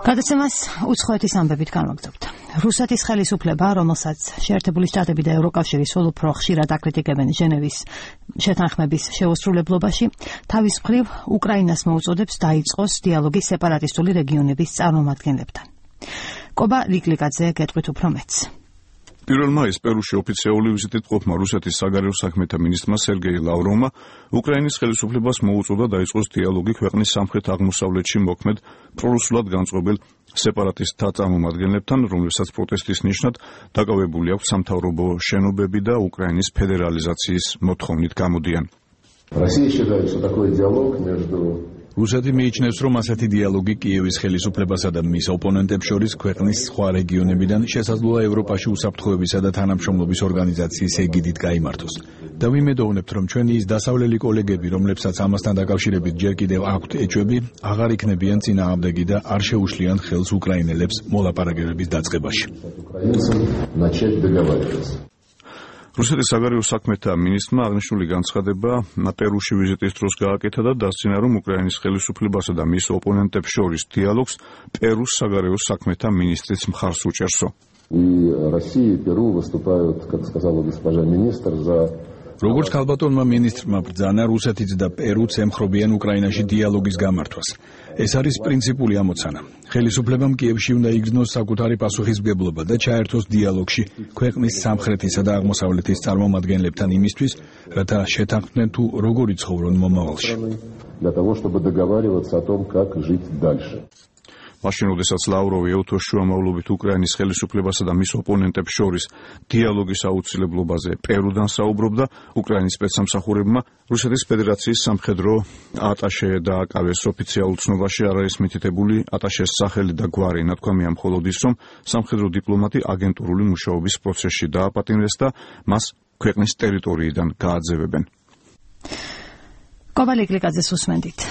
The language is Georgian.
გადაცემას უცხოეთის ამბებით განვაგრძობთ. რუსეთის ხელისუფლება, რომელსაც შეერთებული შტატები და ევროკავშირი სულ უფრო ხშირად აკრიტიკებენ ჟენევის შეთანხმების შეუსრულებლობაში, თავის მხრივ უკრაინას მოუწოდებს დაიწყოს დიალოგი სეპარატისტული რეგიონების წარმომადგენლებთან. კობა ლიკლიკაძე გეტყვით უფრო მეტს. 1 მაისს პერუში ოფიციალური ვიზიტით ყოფმა რუსეთის საგარეო საქმეთა მინისტრმა სერგეი ლავროვმა უკრაინის ხელისუფლებას მოუწოდა დაიწყოს დიალოგი ქვეყნის სამხრეთ-აღმოსავლეთში მოქმედ პრორუსულად განწყობილ სეპარატისტთა წარმომადგენლებთან, რომლებსაც პროტესტის ნიშნად დაკავებული აქვს სამთავრობო შენობები და უკრაინის ფედერალიზაციის მოთხოვნით გამოდიან. რუსეთი მიიჩნევს, რომ ასეთი დიალოგი კიევის ხელისუფლებასა და მის ოპონენტებს შორის ქვეყნის სხვა რეგიონებიდან შესაძლოა ევროპაში უსაფრთხოებისა და თანამშრომლობის ორგანიზაციის ეგიდით გაიმართოს. და ვიმედოვნებთ, რომ ჩვენი ის დასავლელი კოლეგები, რომლებსაც ამასთან დაკავშირებით ჯერ კიდევ აქვთ ეჭვები, აღარ იქნებიან წინააღმდეგი და არ შეუშლიან ხელს უკრაინელებს მოლაპარაკებების დაწყებაში. რუსეთის საგარეო საქმეთა მინისტრმა აღნიშნული განცხადება პერუში ვიზიტის დროს გააკეთა და დასძინა, რომ უკრაინის ხელისუფლებასა და მის ოპონენტებს შორის დიალოგს პერუს საგარეო საქმეთა მინისტრიც მხარს უჭერსო. როგორც ქალბატონმა მინისტრმა ბრძანა, რუსეთიც და პერუც ემხრობიან უკრაინაში დიალოგის გამართვას. ეს არის პრინციპული ამოცანა. ხელისუფლებამ კიევში უნდა იგრძნოს საკუთარი პასუხისმგებლობა და ჩაერთოს დიალოგში ქვეყნის სამხრეთისა და აღმოსავლეთის წარმომადგენლებთან იმისთვის, რათა შეთანხმდნენ თუ როგორ იცხოვრონ მომავალში. მაშინ, როდესაც ლავროვი ეუთოს შუამავლობით უკრაინის ხელისუფლებასა და მის ოპონენტებს შორის დიალოგის აუცილებლობაზე პერუდან საუბრობდა, უკრაინის სპეცსამსახურებმა რუსეთის ფედერაციის სამხედრო ატაშე დააკავეს. ოფიციალურ ცნობაში არ არის მითითებული ატაშეს სახელი და გვარი, ნათქვამია მხოლოდ ის, რომ სამხედრო დიპლომატი აგენტურული მუშაობის პროცესში დააპატიმრეს და მას ქვეყნის ტერიტორიიდან გააძევებენ. კობა ლიკლიკაძეს უსმენდით.